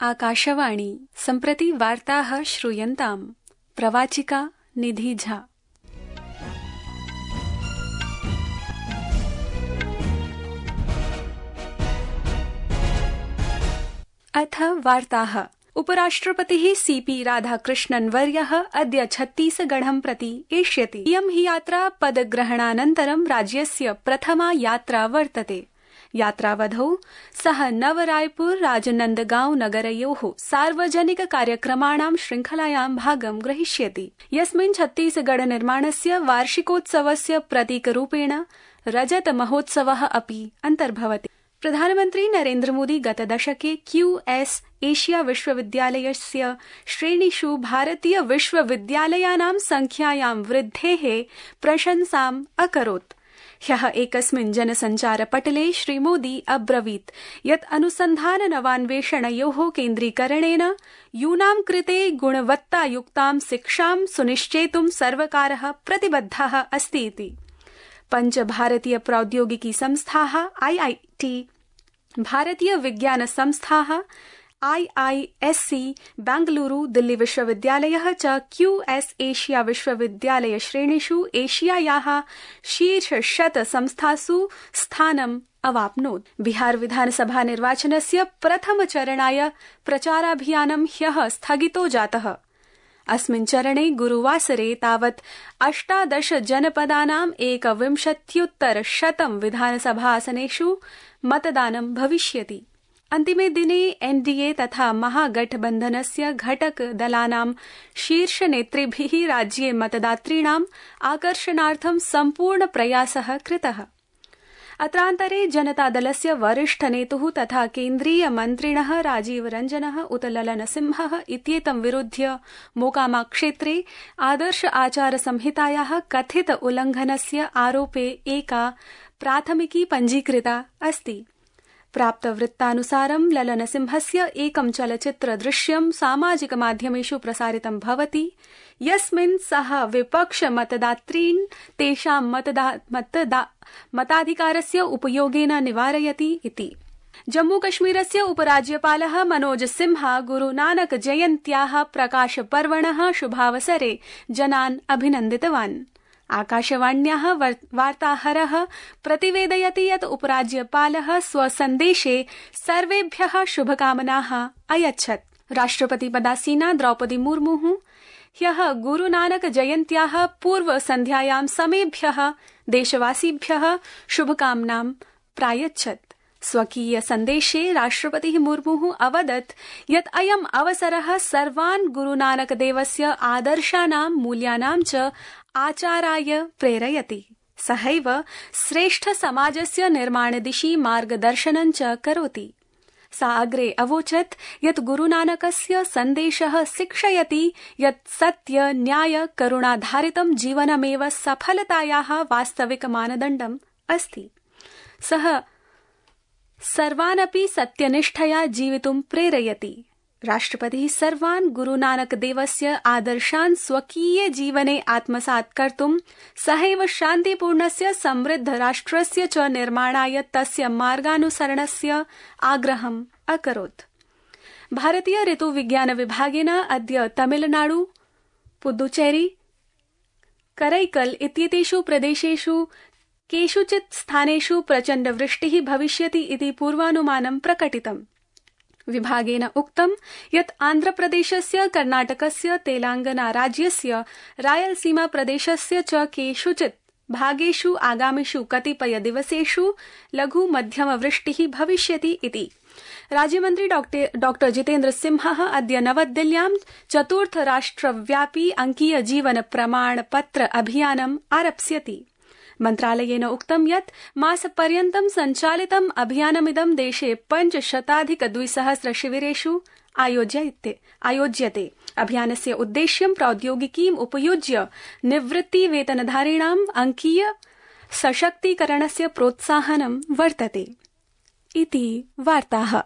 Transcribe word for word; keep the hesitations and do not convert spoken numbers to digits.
आकाशवाणी सम्प्रति वार्ताः श्रूयन्ताम्। प्रवाचिका निधि झा। अथ वार्ताः। उपराष्ट्रपतिः सीपी राधाकृष्णन् वर्यः अद्य छत्तीसगढं प्रति एष्यति। इयं हि यात्रा पदग्रहणानन्तरं राज्यस्य प्रथमा यात्रा वर्तते। यात्रावधौ सः नवरायपुर राजनंदगांव नगरयोः सार्वजनिक कार्यक्रमाणां श्रृंखलायां भागं ग्रहीष्यति, यस्मिन् छत्तीसगढ़ निर्माणस्य वार्षिकोत्सवस्य प्रतीकरूपेण रजत महोत्सवः अपि अन्तर्भवति। प्रधानमन्त्री नरेन्द्र मोदी गतदशके क्यूएस एशिया विश्वविद्यालयस्य श्रेणीषु भारतीय विश्वविद्यालयानां संख्यायां वृद्धेः प्रशंसाम् अकरोत्। ह्यः एकस्मिन् जनसञ्चारपटले श्रीमोदी अब्रवीत् यत् अनुसन्धान नवान्वेषणयोः केन्द्रीकरणेन यूनां कृते गुणवत्तायुक्तां शिक्षां सुनिश्चेतुं सर्वकारः प्रतिबद्धः अस्ति इति। पञ्च भारतीय प्रौद्योगिकी संस्थाः आईआईटी, भारतीय विज्ञान संस्थाः आईआईएससी, बेंगलुरु, दिल्ली विश्वविद्यालयः च क्यूएस एशिया विश्वविद्यालय श्रेणीषु एशियायाः शीर्षशत संस्थासु स्थानम् अवाप्नोत्। बिहार विधानसभा निर्वाचनस्य प्रथमचरणाय प्रचाराभियानं ह्यः स्थगितो जातः। अस्मिन् चरणे गुरुवासरे तावत् अष्टादश जनपदानाम् एकविंशत्युत्तर शतं विधानसभासनेषु मतदानं भविष्यति। अन्तिमे दिने एनडीए तथा महागठबन्धनस्य घटक दलानां शीर्षनेतृभिः राज्ये मतदातॄणाम् आकर्षणार्थं सम्पूर्ण प्रयासः कृतः। अत्रान्तरे जनतादलस्य वरिष्ठनेतुः तथा केन्द्रीय मन्त्रिणः राजीव रञ्जनः उत ललनसिंहः इत्येतं विरुध्य मोकामा क्षेत्रे आदर्श आचार संहितायाः कथित उल्लंघनस्य आरोपे एका प्राथमिकी पञ्जीकृता अस्ति। प्राप्तवृत्तानुसारं ललनसिंहस्य एकं चलच्चित्रदृश्यं सामाजिकमाध्यमेषु प्रसारितं भवति, यस्मिन् सः विपक्षमतदातॄन् तेषां मतदा, मतदा, मताधिकारस्य उपयोगेन निवारयति इति। जम्मूकश्मीरस्य उपराज्यपालः मनोज सिन्हा गुरुनानक जयन्त्याः प्रकाशपर्वणः शुभावसरे जनान् अभिनन्दितवान्। आकाशवाण्याः वार्ताहरः प्रतिवेदयति यत् उपराज्यपालः स्वसन्देशे सर्वेभ्यः शुभकामनाः अयच्छत्। राष्ट्रपतिपदासीना द्रौपदी मुर्मुः ह्यः गुरुनानक जयन्त्याः पूर्वसन्ध्यायां समेभ्यः देशवासिभ्यः शुभकामनां प्रायच्छत्। स्वकीय सन्देशे राष्ट्रपतिः मुर्मुः अवदत् यत् अयम् अवसरः सर्वान् गुरुनानकदेवस्य आदर्शानां मूल्यानां च आचाराय प्रेरयति। सहैव श्रेष्ठ समाजस्य निर्माणदिशि मार्गदर्शनं च करोति। सा अग्रे अवोचत् यत् गुरुनानकस्य सन्देशः शिक्षयति यत् सत्य न्याय करुणाधारितं जीवनमेव सफलतायाः वास्तविक मानदण्डम् अस्ति। सः सर्वानपि सत्यनिष्ठया जीवितुं प्रेरयति। राष्ट्रपतिः सर्वान् गुरुनानकदेवस्य आदर्शान् स्वकीये जीवने आत्मसात् कर्तुं सहैव शान्तिपूर्णस्य समृद्ध राष्ट्रस्य च निर्माणाय तस्य मार्गानुसरणस्य आग्रहम् अकरोत्। भारतीय ऋतुविज्ञान विभागेन अद्य तमिलनाडु, पुदुचेरी, करैकल इत्येतेषु प्रदेशेषु केषुचित् स्थानेषु प्रचण्ड वृष्टिः भविष्यति इति पूर्वानुमानं प्रकटितम्। विभागेन उक्तं यत् आन्ध्रप्रदेशस्य, कर्णाटकस्य, तेलंगाना राज्यस्य, रायलसीमा प्रदेशस्य च केषुचित् भागेषु आगामिषु कतिपय दिवसेषु लघु मध्यम वृष्टिः भविष्यति इति। राज्यमन्त्री डॉक्टर जितेन्द्र सिंहः अद्य नवदिल्ल्यां चतुर्थ राष्ट्रव्यापी अंकीय जीवन प्रमाण पत्र अभियानम् आरप्स्यति। मन्त्रालयेन उक्तं यत् मासपर्यन्तं सञ्चालितम् अभियानमिदं देशे पञ्चशताधिक द्विसहस्र शिविरेषु आयोज्यते। अभियानस्य उद्देश्यं प्रौद्योगिकीम् उपयुज्य निवृत्तिवेतनधारिणाम् अंकीय सशक्तीकरणस्य प्रोत्साहनं वर्तते। इति वार्ताः।